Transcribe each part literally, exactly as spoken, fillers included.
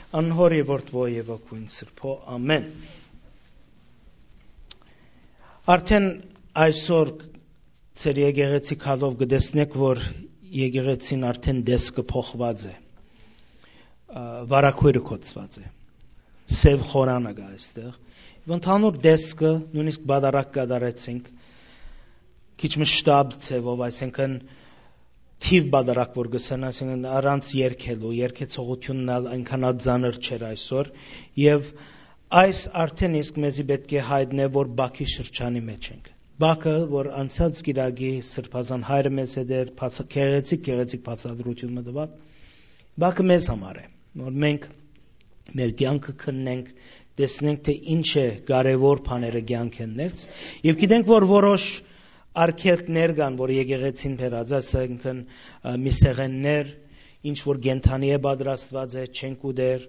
Անհոր եւ Որդւոյ եւ Հոգւոյն Սրբոյ։ Ամեն։ Արդեն այսօր ձեր եկեղեցի գալով կը տեսնէք, որ եկեղեցին արդեն տեսքը փոխուած է, ա, վարագոյրը կոչուած է, սեւ խորանը կայ այստեղ։ Եւ ընդհանուր տեսքը, նոյնիսկ պատարագ կատարեցինք, քիչ մը շտապ ձեւով, այսինքն թիւ պատարագ որ կ'ըսեն, այսինքն առանց երգելու, երգեցողութիւնն ալ այնքան ալ ծանր չէր այսօր, եւ այս արդեն իսկ մեզի պէտք է յայտնէ, որ Բաքի շրջանի մէջ ենք։ Բաքը, որ անցած կիրակի Սրբազան Հայրը մեզ հետ էր, բաց-, գեղեցիկ, գեղեցիկ բացատրութիւն մը տուաւ, Բաքը մեզ համար է, որ մենք մեր կեանքը քննենք, տեսնենք, թէ ինչ է կարեւոր բաները կեանքեն ներս, եւ գիտենք, որ որոշ արգելքներ կան, որ եկեղեցին բերած է, այսինքն, ը, միսեղեններ, ինչ որ կենդանի է պատրաստված է, չենք ուտեր,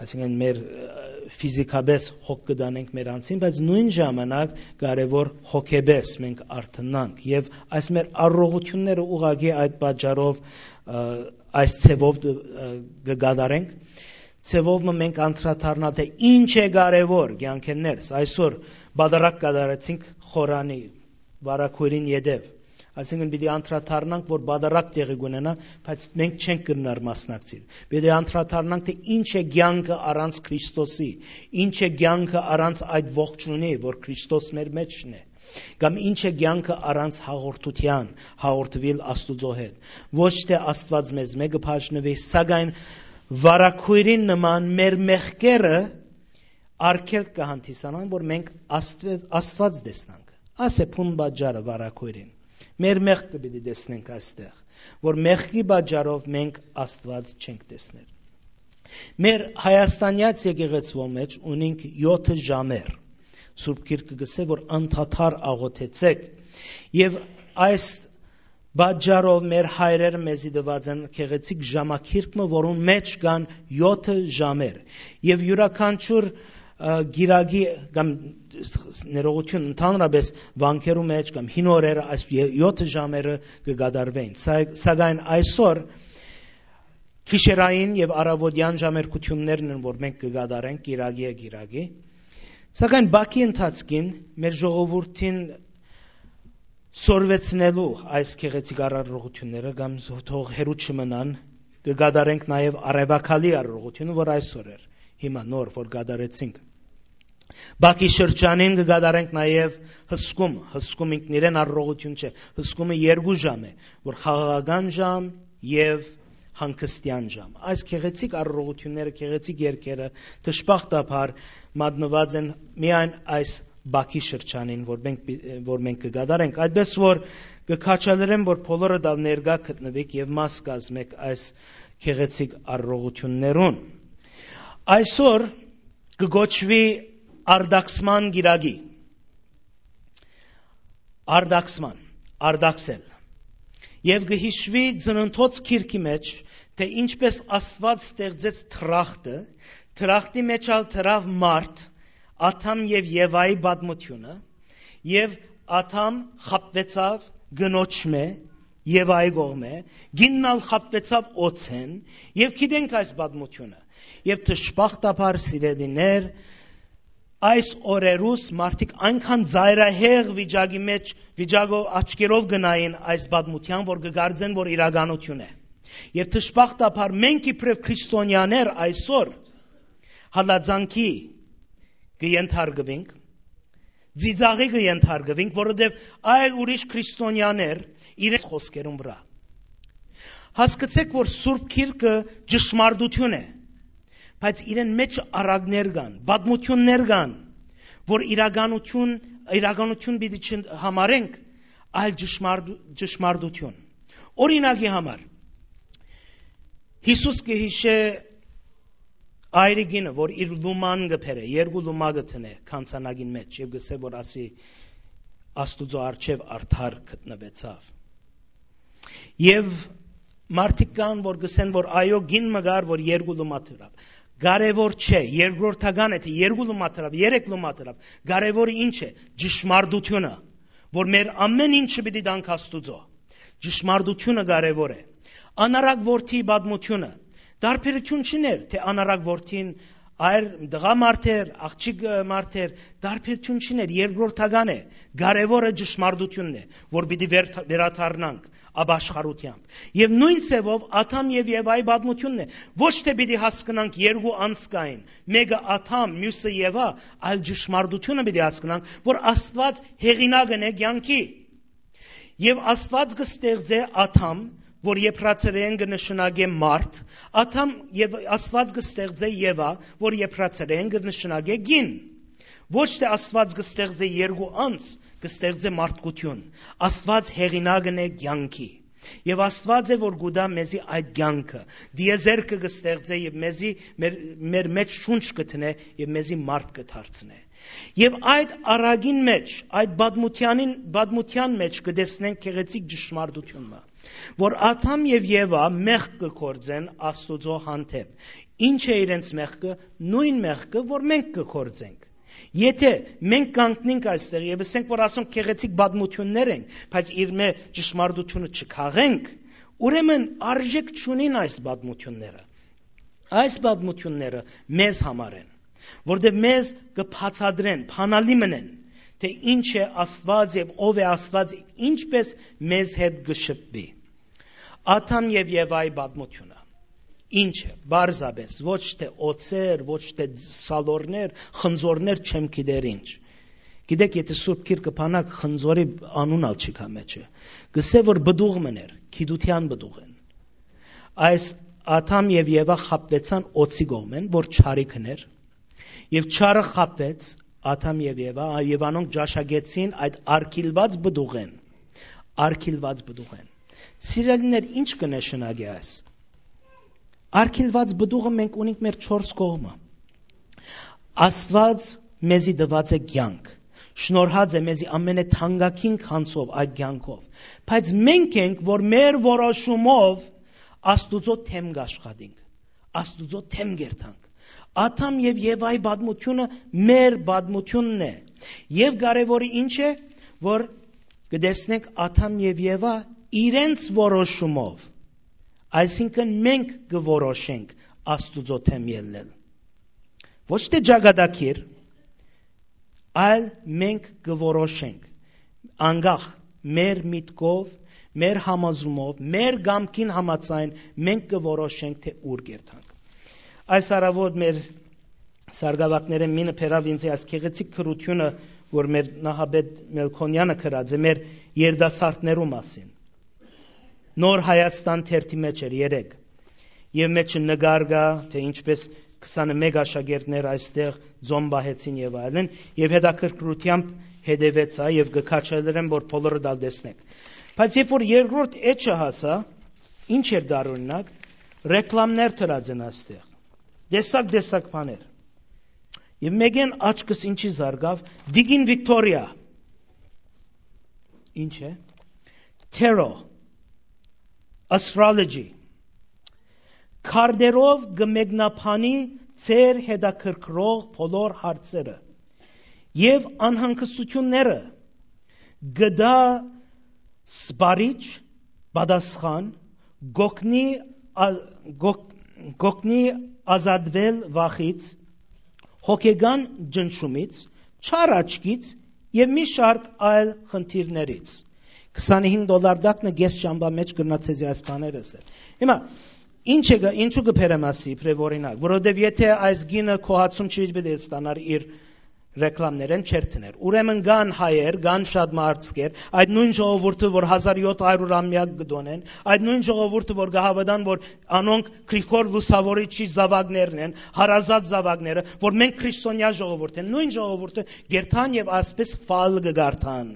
այսինքն մեր, ը, ֆիզիկապես հոգ կը տանենք մեր անձին, բայց նոյն ժամանակ կարեւոր հոգեպես մենք արթնանք, եւ այս մեր առողջությունները ուղղակի այդ պատճառով, ը, այս ձևով դ-, ը, կը կատարենք, ձևով մը մենք անդրադառնանք, թէ ինչ է կարեւոր կեանքեն ներս։ Այսօր պատարագ կատարեցինք խորանի վարագոյրին ետեւ։ Այսինքն պիտի անդրադառնանք, որ պատարագ տեղի կունենայ, բայց մենք չենք կրնար մասնակցիլ։ Պիտի անդրադառնանք, թէ ինչ է կեանքը առանց Քրիստոսի, ինչ է կեանքը առանց այդ ողջունի, որ Քրիստոս մեր մեջն է, կամ ինչ է կեանքը առանց հաղորդութեան, հաղորդուիլ Աստուծոյ հետ։ Ոչ թէ Աստուած մեզմէ կը բաժնուի, սակայն վարագոյրին նման մեր մեղքերը արգելք կը հանդիսանան, որ մենք Աստուե-, Աստուած տեսնանք։ Աս է բուն պատճառը վարագոյրին։ Մեր մեղքը պիտի տեսնենք այստեղ, որ մեղքի պատճառով մենք Աստուած չենք տեսներ։ Մեր հայաստանեաց եկեղեցւոյ մէջ ունինք եօթը ժամեր։ Սուրբ Գիրքը կ'ըսէ, որ անդադար աղօթեցէք, եւ այս պատճառով մեր հայրերը մեզի տուած են գեղեցիկ ժամագիրք մը, որուն մէջ կան եօթը ժամեր, եւ իւրաքանչիւր, ը, գիրագի կամ ներողություն, ընդհանրապես վանքերու մէջ կամ հին օրերը այս ե-, եօթը ժամերը կը կատարվեն։ Սա-, սակայն այսօր գիշերային եւ առավոտեան ժամերգութիւններն են, որ մենք կը կատարենք գիրագի եւ գիրագի։ Սակայն Բաքի ընթացքին մեր ժողովուրդին սորվեցնելու այս գեղեցիկ առարողությունները կամ թող հեռու չմնան, կը կատարենք նաեւ արեւակալի առարողությունը, որ այսօր էր, հիմա նոր, որ կատարեցինք։ Բաքի շրջանին կը կատարենք նաեւ հսկում, հսկում ինքնիրեն առարողություն չէ, հսկումը երկու ժամ է, որ խաղաղական ժամ եւ հանգստեան ժամ։ Այս գեղեցիկ առարողությունները, գեղեցիկ երկերը դժբախտաբար մատնուած են միայն այս Բաքի շրջանին, որ մենք պի-, որ մենք կը կատարենք։ Այդպես որ կը քաջալերեմ, որ բոլորը դալ ներկայ գտնուիք եւ մաս կազմեք այս գեղեցիկ առարողություններուն։ Այսօր կը կոչուի Արտաքսման գիրագի։ Արտաքսման, արտաքսել։ Եւ կը յիշուի Ծննդոց գիրքի մէջ, թէ ինչպես Աստուած ստեղծեց դրախտը, դրախտի մէջ ալ դրաւ մարդ, Ադամ եւ Եվայի պատմությունը, եւ Ադամ խաբուեցաւ կնոջմէ, Եվայի կողմէ, կինն ալ խաբուեցաւ օձէն, եւ գիտենք այս պատմությունը։ Եւ դժբախտաբար, սիրելիներ, այս օրերուս մարդիկ այնքան ծայրահեղ վիճակի մէջ, վիճակով աչքերով կը նային այս պատմութեան, որ կը կարծեն, որ իրականություն է։ Եւ դժբախտաբար մենք իբրեւ քրիստոնեաներ այսօր հալածանքի կը ենթարկուինք, ծիծաղի կը ենթարկուինք, որովհետեւ այլ ուրիշ քրիստոնեաներ իրենց խոսքերուն վրայ։ Հասկցեք, որ Սուրբ Գիրքը ճշմարտություն է, բայց իրեն մէջ արագներ կան, պատմություններ կան, որ իրականություն, իրականություն պիտի չհամարենք, այլ ճշմարտ-, ճշմարտություն։ Օրինակի համար, Յիսուս կը յիշէ այրիկինը, որ իր լուման կը բերէ, երկու լումա կը դնէ գանձանակին մէջ եւ կ'ըսէ, որ ասի, Աստուծոյ առջեւ արդար գտնուեցաւ։ Եւ մարդիկ կան, որ կ'ըսեն, որ այո, կին մը կար, որ երկու լումա դրաւ։ Կարեւոր չէ, երկրորդական է, թէ երկու լումա դրաւ, երեք լումա դրաւ։ Կարեւորը ինչ է, ճշմարտությունը, որ մեր ամեն ինչը պիտի տանք Աստուծոյ։ Ճշմարտությունը կարեւոր է։ Անարակ որդի պատմությունը, Տարբերութիւն չուներ, թէ անառակ որդին այր տղամարդ էր, աղջիկ, ը, մարդ էր, տարբերութիւն չուներ, երկրորդական է, կարեւորը ճշմարտութիւնն է, որ պիտի վեր-, վերադառնանք ապաշխարութեամբ։ Եւ նոյն ձեւով Ադամ եւ Եվայի պատմութիւնն է, ոչ թէ պիտի հասկնանք երկու անձ կային, մէկը Ադամ, միւսը Եվա, այլ ճշմարտութիւնը պիտի հասկնանք, որ Աստուած հեղինակն է կեանքի։ Եւ Աստուած կը ստեղծէ Ադամ, որ եբրացերէն կը նշանակէ մարդ, Ադամ, եւ Աստուած կը ստեղծէ Եվա, որ եբրացերէն կը նշանակէ կին։ Ոչ թէ Աստուած կը ստեղծէ երկու անձ, կը ստեղծէ մարդկութիւն։ Աստուած հեղինակն է կեանքի։ Եւ Աստուած է, որ կու տայ մեզի այդ կեանքը, դիեզերքը կը ստեղծէ եւ մեզի մեր, մեր մէջ շունչ կը դնէ եւ մեզի մարդ կը դարձնէ։ Եւ այդ առակին մէջ, այդ պատմութեանին, պատմութեան մէջ կը տեսնենք գեղեցիկ ճշմարտութիւն մը, որ Ադամ եւ Եվա մեղք կը գործեն Աստուծոյ հանդէպ։ Ի՞նչ է իրենց մեղքը? Նոյն մեղքը, որ մենք կը գործենք։ Եթէ մենք կանգնենք այստեղ եւ ըսենք, որ ասոնք գեղեցիկ պատմութիւններ են, բայց իրմէ ճշմարտութիւնը չքաղենք, ուրեմն արժէք չունին այս պատմութիւնները։ Այս պատմութիւնները մեզ համար են, որտեղ մեզ կը բացատրեն, բանալի մըն են, թէ ինչ է Աստուած եւ ով է Աստուած, ինչպէս մեզ հետ կը շփուի։ Ադամ եւ Եվայի պատմութիւնը ինչ է, պարզապէս, ոչ թէ օձեր, ոչ թէ սալորներ, խնձորներ, չեմ գիտեր ինչ։ Գիտէք, եթէ Սուրբ Գիրքը բանակ, խնձորի անուն ալ չի գայ մէջը։ Կ'ըսէ, որ պտուղ մըն էր, գիտութեան պտուղ են։ Այս Ադամ եւ Եվա խաբուեցան օձի կողմէն, որ չարիքն էր, եւ չարը խաբեց Ադամ եւ Եվա, եւ անոնք ճաշակեցին այդ արգիլուած պտուղէն, արգիլուած պտուղէն։ Սիրելիներ, ի՞նչ կը նշանակէ այս։ Արգիլուած պտուղը մենք ունենք մեր չորս կողմը։ Աստուած մեզի տուած է կեանք, շնորհած է մեզի ամենեթանկագին գանձով, այդ կեանքով, բայց մենք ենք, որ մեր որոշումով Աստուծոյ դէմ կաշխատենք, Աստուծոյ դէմ կերթանք։ Ադամ եւ Եվայի պատմութիւնը մեր պատմութիւնն է։ Եւ կարեւորը ինչ է, որ կը տեսնենք Ադամ եւ Եվա իրենց որոշումով, այսինքն մենք կը որոշենք Աստուծոյ դէմ ելլել։ Ոչ թէ ճակատագիր, այլ մենք կը որոշենք, անկախ մեր միտքով, մեր համոզումով, մեր կամքին համաձայն մենք կը որոշենք, թէ ուր կերթանք։ Այս առաւօտ մեր սարկաւակներէն մինը բերաւ ինձ այս գեղեցիկ գրութիւնը, որ մեր նախապետ Մելքոնեանը գրած է մեր երիտասարդներու մասին։ Նոր Հայաստան թերթի մէջ էր երեկ, եւ մէջը նկար կայ, թէ ինչպէս քսանմէկ աշակերտներ այստեղ ծոմ պահեցին եւ այլն, եւ հետաքրքրութեամբ հետեւեցայ եւ կը քաջալերեմ, որ բոլորը դա տեսնեք։ Բայց երբ որ երկրորդ էջը հասայ, ինչ էր տարօրինակ, ռեկլամներ դրած են այստեղ, տեսակ-տեսակ բաներ։ Եւ մէկէն աչքս ինչի զարկաւ, Տիկին Վիկտորիա։ Ինչ է? Tarot, astrology։ Քարտերով կը մեկնաբանի ձեր հետաքրքրող բոլոր հարցերը եւ անհանգստութիւնները, կը տայ սպառիչ պատասխան, կ'օգնի ա-, կ'օգ-, կ'օգնի ազատվել վախից, հոգեկան ճնշումից, չար աչքից եւ մի շարք այլ խնդիրներից։ Քսանհինգ դոլար տակնը կէս շամբա մէջ կրնայ ձեզի այս բաները ըսել։ Հիմա, ինչ է գա-, ինչու կը բերեմ ասի, իբրեւ օրինակ, որովհետեւ եթէ այս գինը քո հացում չի, պիտի ստանար իր ռեկլամներէն չերթներ։ Ուրեմն կան հայեր, կան շատ մարդիկ, այդ նոյն ժողովուրդը, որ հազար յոթ հարիւր ամեակ կը տոնեն, այդ նոյն ժողովուրդը, որ կը հաւատան, որ անոնք Գրիգոր Լուսաւորիչի զաւակներն են, հարազատ զաւակները, որ մենք քրիստոնեայ ժողովուրդ են, նոյն ժողովուրդը կերթան եւ այսպես ֆալ կը կարդան։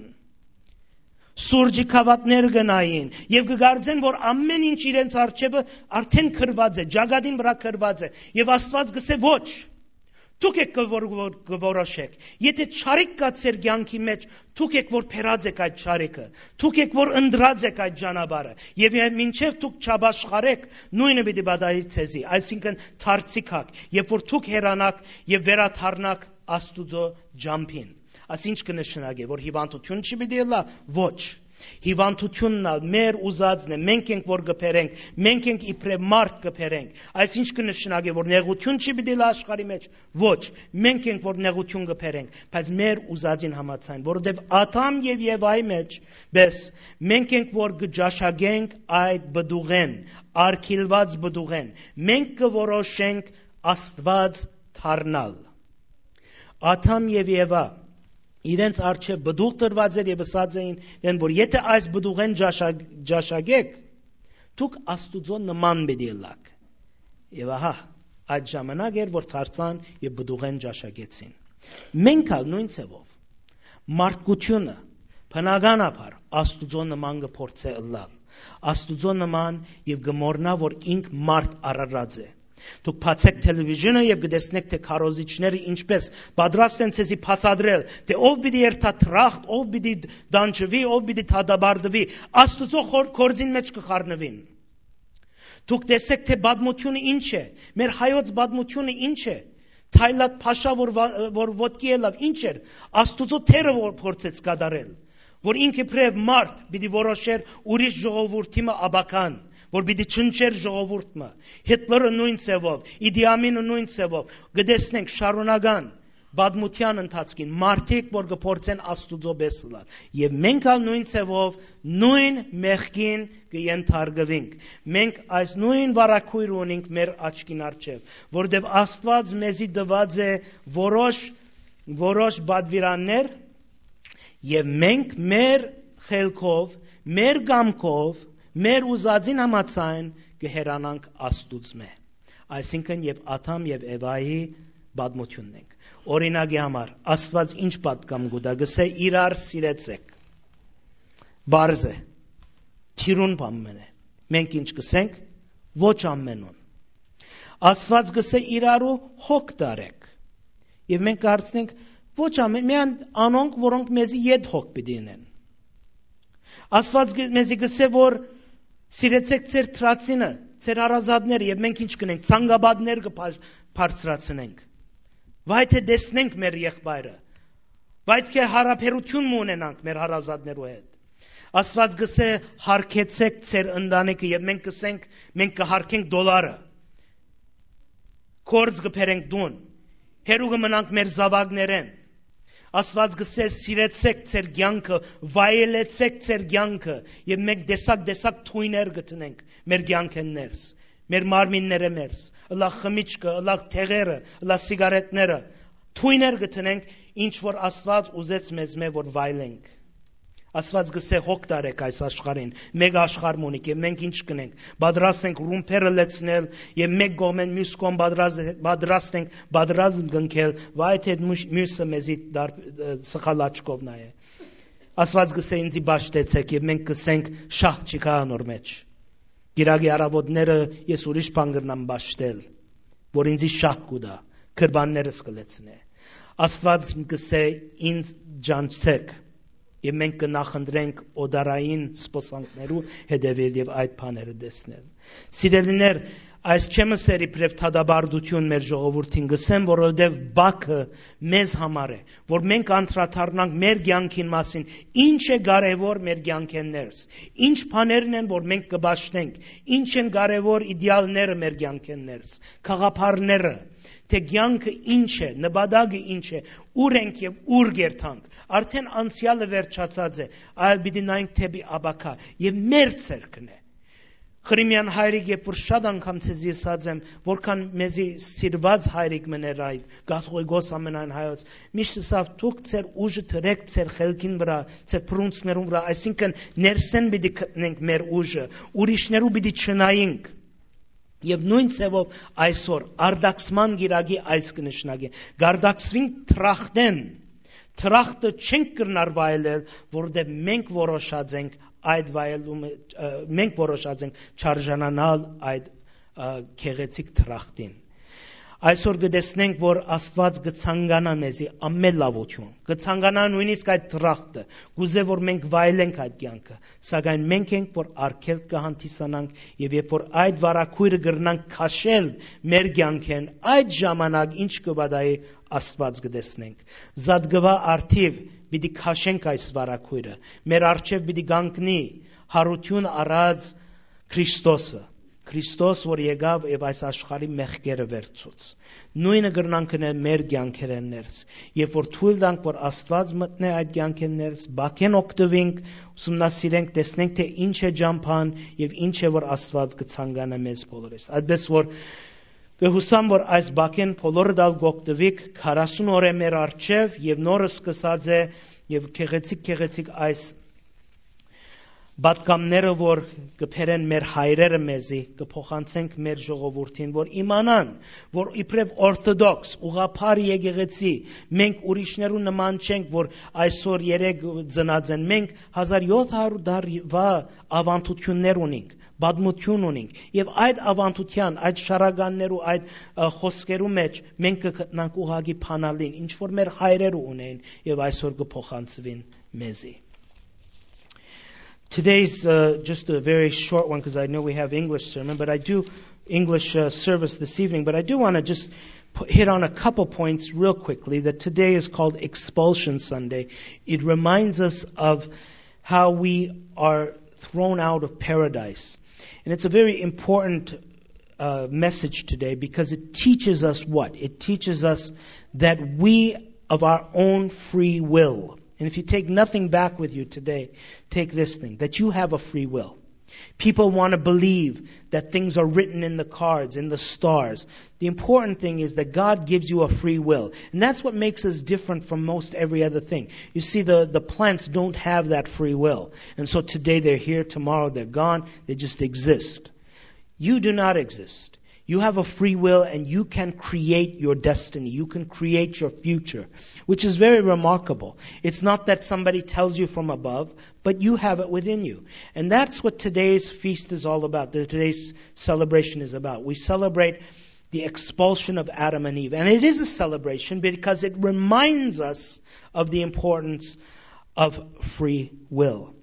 Սուրճի գաւաթներ կը նային եւ կը կարծեն, որ ամէն ինչ իրենց առջեւը արդէն գրուած է, ճակատին վրայ գրուած է, եւ Աստուած կ'ըսէ. «Ոչ, դուք եք կը որ-, որ-, կը որոշեք։ Եթէ չարիք կայ ձեր կեանքի մէջ, դուք եք որ բերած եք այդ չարիքը, դուք եք որ ընտրած եք այդ ճանապարհը, եւ, եւ մինչեւ դուք չապաշխարեք, նոյնը պիտի պատահի ձեզի», այսինքն դարձի գաք, երբ որ դուք հեռանաք եւ վերադառնաք Աստուծոյ ճամբին։ Աս ինչ կը նշանակէ, որ հիւանդութիւն չի պիտի ըլլայ։ Ոչ։ Հիւանդութիւնն ալ մեր ուզածն է, մենք ենք որ կը բերենք, մենք ենք իբրեւ մարդ կը բերենք։ Այս ի՞նչ կը նշանակէ, որ նեղութիւն չի պիտի ըլլայ աշխարհի մէջ։ Ոչ, մենք ենք որ նեղութիւն կը բերենք, բայց մեր ուզածին համաձայն, որովհետեւ Ադամ եւ Եվայի մէջ պէս մենք ենք որ կը ճաշակենք այդ պտուղէն, արգիլուած պտուղէն, մենք կը որոշենք Աստուած դառնալ։ Ադամ եւ Եվա իրենց առջեւ պտուղ տրուած էր եւ ըսած էին իրեն, որ եթէ այս պտուղէն ճաշակ-, ճաշակէք, դուք Աստուծոյ նման պիտի ըլլաք։ Եւ ահա, այդ ժամանակ էր, որ դարձան եւ պտուղէն ճաշակեցին։ Մենք ալ նոյն ձեւով, մարդկությունը բնականաբար Աստուծոյ նման կը փորձէ ըլլալ, Աստուծոյ նման, եւ կը մոռնայ, որ ինք մարդ արարած է։ Դուք բացէք թելեվիզիոնը եւ կը տեսնէք, թէ քարոզիչները ինչպէս պատրաստ են ձեզի բացատրել, թէ ով պիտի երթայ դրախտ, ով պիտի տանջուի, ով պիտի դատապարտուի։ Աստուծոյ խոր-, գործին մէջ կը խառնուին։ Դուք տեսէք, թէ պատմութիւնը ինչ է, մեր հայոց պատմութիւնը ինչ է, Թայլատ փաշա, որ վա-, որ ոտքի ելաւ, ինչ էր, Աստուծոյ դերը որ փորձեց կատարել, որ ինք իբրեւ մարդ պիտի որոշէր ուրիշ ժողովուրդի մը ապագան, որ պիտի չնչեր ժողովուրդ մը։ Հիտլերը նոյն ձեւով, Իդի Ամինը նոյն ձեւով, կը տեսնենք շարունակական պատմութեան ընթացքին մարդիկ, որ կը փորձեն Աստուծոյ պէս ըլլալ։ Եւ մենք ալ նոյն ձեւով, նոյն մեղքին կը ենթարկուինք։ Մենք այս նոյն վարագոյրը ունենք մեր աչքին առջեւ, որովհետեւ Աստուած մեզի տուած է որոշ, որոշ պատուիրաններ, եւ մենք մեր խելքով, մեր կամքով, մեր ուզածին համաձայն կը հեռանանք Աստուծմէ։ Այսինքն, եւ Ադամ եւ Էվայի պատմութիւնն ենք։ Օրինակի համար, Աստուած ինչ պատգամ կու տայ, կ'ըսէ. «Իրար սիրեցէք»։ Պարզ է, թիրուն բան մըն է։ Մենք ինչ կ'ըսենք, ոչ ամենուն։ Աստուած կ'ըսէ. «Իրարու հոգ տարէք»։ Եւ մենք կ'հարցնենք. «Ոչ ամեն, միայն անոնք, որոնք մեզի ետ հոգ պիտի ընեն»։ Աստուած կը-, մեզի կ'ըսէ, որ սիրեցէք ձեր դրացինը, ձեր հարազատները, եւ մենք ինչ կ'ընենք, ցանկապատներ կը բա-, բարձրացնենք։ Վայ թէ տեսնենք մեր եղբայրը, վայ թէ հարաբերութիւն մը ունենանք մեր հարազատներու հետ։ Աստուած կ'ըսէ. «Հարգեցէք ձեր ընտանիքը», եւ մենք կ'ըսենք, մենք կը հարգենք դոլարը, գործ կը բերենք տուն, հեռու կը մնանք մեր զաւակներէն։ Աստուած կ'ըսէ. «Սիրեցէք ձեր կեանքը, վայելեցէք ձեր կեանքը», եւ մենք տեսակ-տեսակ թոյներ կը դնենք մեր կեանքէն ներս, մեր մարմիններէ ներս, ըլլայ խմիչքը, ըլլայ դեղերը, ըլլայ սիգարետները, թոյներ կը դնենք, ինչ որ Աստուած ուզեց մեզմէ որ վայելենք։ Աստուած կ'ըսէ. «Հոգ տարէք այս աշխարհին, մէկ աշխարհ մը ունիք», եւ մենք ինչ կ'ընենք, պատրաստ ենք ռումբերը լեցնել, եւ մէկ կողմէն միւս կողմ պատրաստ, պատրաստ ենք պատերազմ կնքել, վայ թէ մյուս-, միւսը մեզի դար-, սխալ աչքով նայէ։ Աստուած կ'ըսէ. «Ինծի պաշտեցէք», եւ մենք կ'ըսենք. «Շահ չի գայ անոր մէջ»։ Կիրակի առաւօտները ես ուրիշ բան կրնամ պաշտել, որ ինձի շահ կու տայ, կրպաններս կը լեցնէ։ Աստուած կ'ըսէ. «Ինձ ճանչցէք», եւ մենք կը նախընտրենք օտարային սպասանքներու հետեւել եւ այդ բաները տեսնել։ Սիրելիներ, այս չեմ ըսեր իբրեւ դատապարտութիւն մեր ժողովուրդին, կ'ըսեմ, որովհետեւ Բաքը մեզ համար է, որ մենք անդրադառնանք մեր կեանքին մասին, ինչ է կարեւոր մեր կեանքէն ներս, ինչ բաներն են, որ մենք կը պաշտենք, ինչ են կարեւոր իդեալները մեր կեանքէն ներս, գաղափարները, թէ կեանքը ինչ է, նպատակը ինչ է, ուր ենք եւ ուր կերթանք։ Արդեն անցեալը վերջացած է, այլ պիտի նայենք դէպի ապագայ, եւ մեր ձեռքն է։ Խրիմեան հայրիկ, երբ որ շատ անգամ ձեզի ըսած եմ, որքան մեզի սիրված հայրիկ մըն էր այդ, կաթողիկոս ամենայն հայոց, միշտ ըսաւ. «Դուք ձեր ուժը դրէք ձեր խելքին վրայ, ձեր փռունցքներուն վրայ», այսինքն ներսէն պիտի գտնենք մեր ուժը, ուրիշներու պիտի չնայինք։ Եւ նոյն ձեւով այսօր արտաքսման կիրակի այս կը նշանակի. կարտաքսվինք դրախտէն, դրախտը չենք կրնար վայելել, որովհետեւ մենք որոշած ենք այդ վայելումը, ը, մենք որոշած ենք չարժանանալ այդ, ը, գեղեցիկ դրախտին։ Այսօր կը տեսնենք, որ Աստուած կը ցանկանայ մեզի ամեն լաւութիւն, կը ցանկանայ նոյնիսկ այդ դրախտը, կ'ուզէ, որ մենք վայելենք այդ կեանքը, սակայն մենք ենք, որ արգելք կը հանդիսանանք, եւ երբ որ այդ վարագոյրը կրնանք քաշել մեր կեանքէն, այդ ժամանակ ինչ կը պատահի, Աստուած կը տեսնենք։ Զատկուա արթիւ պիտի քաշենք այս վարագոյրը։ Մեր առջեւ պիտի կանգնի յարութիւն առած Քրիստոսը։ Քրիստոս, որ եկաւ եւ այս աշխարհի մեղքերը վերցուց։ Նոյնը կրնանք ընել մեր կեանքերէն ներս։ Երբ որ թոյլ տանք, որ Աստուած մտնէ այդ կեանքէն ներս, բակեն օգտուինք, ուսումնասիրենք, տեսնենք, թե ինչ է ճամփան եւ ինչ է, որ Աստուած կը ցանկանայ մեզ բոլորիս։ Այդպես որ կը յուսամ, որ այս բակեն բոլորդ ալ կ'օգտուիք քառասուն օրէ մեր առջեւ եւ նոր սկսած է եւ գեղեցիկ, գեղեցիկ այս պատգամները, որ կը բերեն մեր հայրերը մեզի, կը փոխանցենք մեր ժողովուրդին, որ իմանան, որ իբրեւ օրթոդոքս, ուղղափառ եկեղեցի, մենք ուրիշներու նման չենք, որ այսօր երեկ ծնած են։ Մենք հազար յոթ հարյուր տարուա աւանդութիւններ ունինք, պատմութիւն ունինք, եւ այդ աւանդութեան, այդ շարականներու, այդ, ը, խօսքերու մէջ մենք կը գտնանք ուղղակի բանալին, ինչ որ մեր հայրերը ունեն եւ այսօր կը փոխանցուին մեզի։ Today's, uh, just a very short one, 'cause I know we have English sermon, but I do English, uh, service this evening, but I do wanna just pu-, hit on a couple points real quickly, that today is called Expulsion Sunday. It reminds us of how we are thrown out of paradise. And it's a very important, uh, message today, because it teaches us what? It teaches us that we, of our own free will, and if you take nothing back with you today, take this thing, that you have a free will. People wanna believe that things are written in the cards, in the stars. The important thing is that God gives you a free will. And that's what makes us different from most every other thing. You see, the, the plants don't have that free will. And so today they're here, tomorrow they're gone. They just exist. You do not exist. You have a free will and you can create your destiny. You can create your future, which is very remarkable. It's not that somebody tells you from above, but you have it within you. And that's what today's feast is all about, that today's celebration is about. We celebrate the expulsion of Adam and Eve. And it is a celebration because it reminds us of the importance of free will.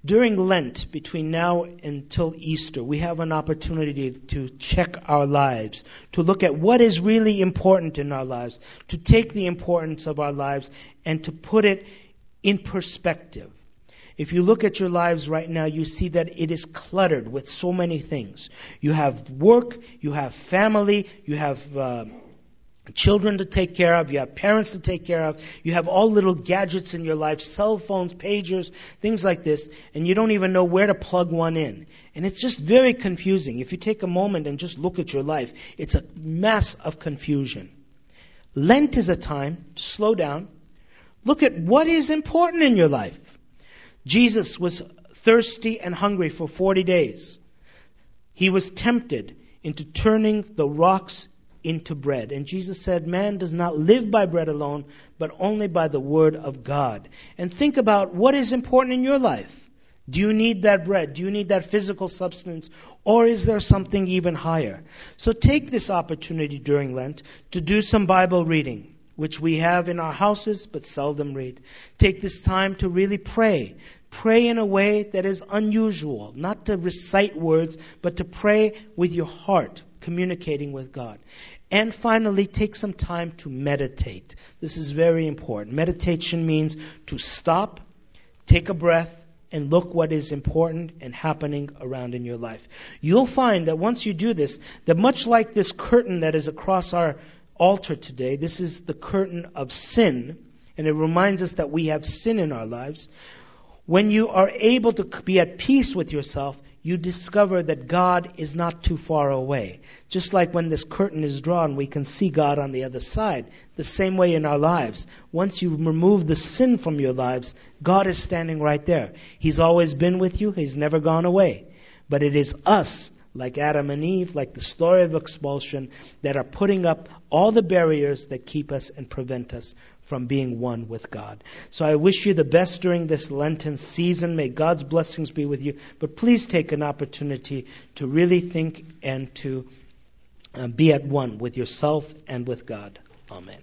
During Lent, between now until Easter, we have an opportunity to check our lives, to look at what is really important in our lives, to take the importance of our lives and to put it in perspective. If you look at your lives right now, you see that it is cluttered with so many things. You have work, you have family, you have, uh, children to take care of, you have parents to take care of, you have all little gadgets in your life, cell phones, pagers, things like this, and you don't even know where to plug one in. And it's just very confusing. If you take a moment and just look at your life, it's a mess of confusion. Lent is a time to slow down, look at what is important in your life. Jesus was thirsty and hungry for forty days. He was tempted into turning the rocks into bread. And Jesus said, "Man does not live by bread alone, but only by the word of God." And think about what is important in your life. Do you need that bread? Do you need that physical substance? Or is there something even higher? So take this opportunity during Lent to do some Bible reading, which we have in our houses but seldom read. Take this time to really pray. Pray in a way that is unusual, not to recite words, but to pray with your heart, communicating with God. And finally, take some time to meditate. This is very important. Meditation means to stop, take a breath, and look what is important and happening around in your life. You'll find that once you do this, that much like this curtain that is across our altar today, this is the curtain of sin, and it reminds us that we have sin in our lives. When you are able to be at peace with yourself, you discover that God is not too far away. Just like when this curtain is drawn, we can see God on the other side. The same way in our lives. Once you remove the sin from your lives, God is standing right there. He's always been with you. He's never gone away. But it is us, like Adam and Eve, like the story of expulsion, that are putting up all the barriers that keep us and prevent us from being one with God. So I wish you the best during this Lenten season. May God's blessings be with you. But please take an opportunity to really think and to, uh, be at one with yourself and with God. Amen.